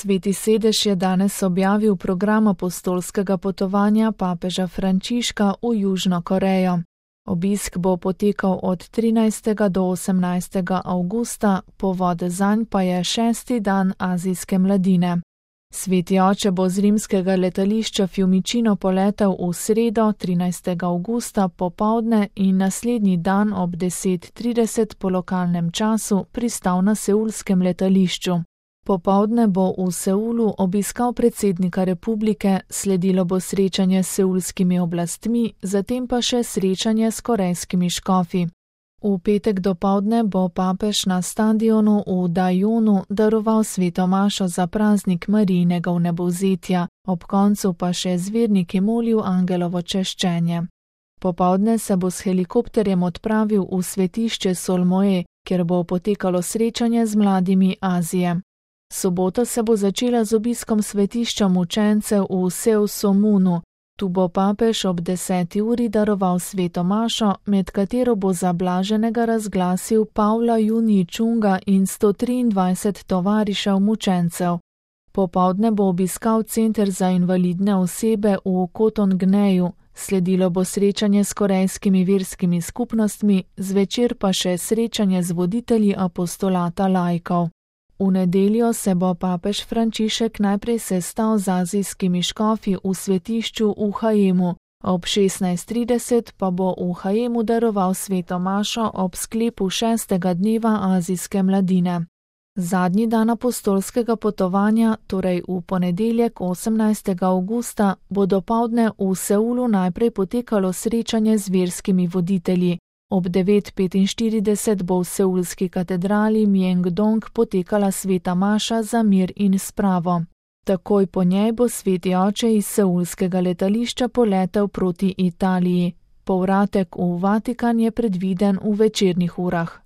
Sveti sedež je danes objavil program apostolskega potovanja papeža Frančiška v Južno Korejo. Obisk bo potekal od 13. do 18. avgusta, povod zanj pa je 6. dan azijske mladine. Sveti oče bo z rimskega letališča Fiumicino poletel v sredo 13. avgusta popoldne in naslednji dan ob 10:30 po lokalnem času pristal na seulskem letališču. Popoldne bo v Seulu obiskal predsednika republike, sledilo bo srečanje s seulskimi oblastmi, zatem pa še srečanje s korejskimi škofi. V petek dopoldne bo papež na stadionu v Dajonu daroval sveto mašo za praznik Marijinega vnebovzetja, ob koncu pa še z verniki molil angelovo češčenje. Popoldne se bo s helikopterjem odpravil v svetišče Solmoe, kjer bo potekalo srečanje z mladimi Azije. Sobota se bo začela z obiskom svetišča mučencev v Seusomunu. Tu bo papež ob 10. uri daroval sveto mašo, med katero bo za blaženega razglasil Pavla Junji Čunga in 123 tovarišev mučencev. Popoldne bo obiskal center za invalidne osebe v Kotongneju, sledilo bo srečanje s korejskimi verskimi skupnostmi, zvečer pa še srečanje z voditelji apostolata laikov. V nedeljo se bo papež Frančišek najprej sestal z azijskimi škofi v svetišču v Hajemu, ob 16:30 pa bo v Hajemu daroval sveto mašo ob sklepu 6. dneva azijske mladine. Zadnji dan apostolskega potovanja, torej v ponedeljek 18. avgusta, bo dopoldne v Seulu najprej potekalo srečanje z verskimi voditelji. Ob 9:45 bo v seulski katedrali Myeongdong potekala sveta maša za mir in spravo. Takoj po njej bo sveti oče iz seulskega letališča poletel proti Italiji. Povratek v Vatikan je predviden v večernih urah.